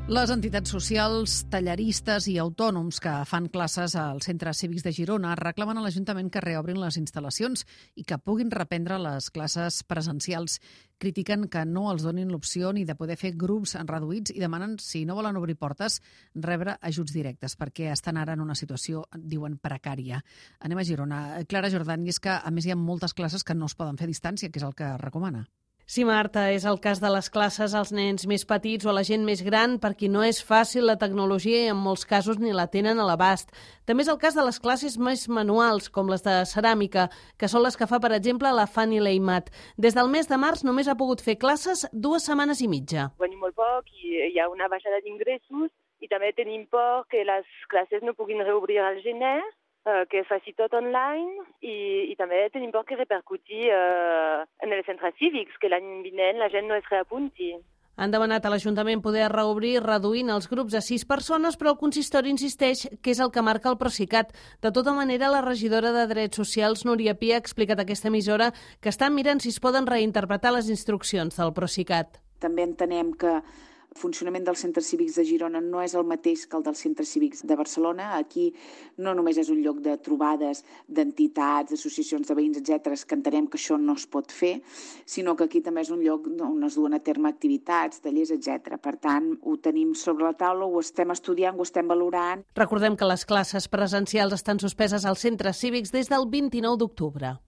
Les entitats socials, tallaristes i autònoms que fan classes als centres cívics de Girona reclamen a l'Ajuntament que reobrin les instal·lacions i que puguin reprendre les classes presencials. Critiquen que no els donin l'opció ni de poder fer grups reduïts i demanen, si no volen obrir portes, rebre ajuts directes, perquè estan ara en una situació, diuen, precària. Anem a Girona. Clara Jordan, i és que a més hi ha moltes classes que no es poden fer a distància, que és el que recomana. Sí, Marta, és el cas de les classes als nens més petits o a la gent més gran, per qui no és fàcil la tecnologia i en molts casos ni la tenen a l'abast. També és el cas de les classes més manuals, com les de ceràmica, que són les que fa, per exemple, la Fanny Leimat. Des del mes de març només ha pogut fer classes 2 setmanes i mitja. Venim molt poc i hi ha una baixada d'ingressos i també tenim por que les classes no puguin reobrir al gener, que faci tot online i també tenim por que repercuti en els centres cívics, que l'any vinent la gent no es reapunti. Han demanat a l'Ajuntament poder reobrir reduint els grups a 6 persones, però el consistori insisteix que és el que marca el Procicat. De tota manera, la regidora de Drets Socials, Núria Pi, ha explicat a aquesta emissora que estan mirant si es poden reinterpretar les instruccions del Procicat. També entenem que el funcionament dels centres cívics de Girona no és el mateix que el dels centres cívics de Barcelona. Aquí no només és un lloc de trobades d'entitats, d'associacions de veïns, etc., que entenem que això no es pot fer, sinó que aquí també és un lloc on es duen a terme activitats, tallers, etc. Per tant, ho tenim sobre la taula, ho estem estudiant, ho estem valorant. Recordem que les classes presencials estan suspeses als centres cívics des del 29 d'octubre.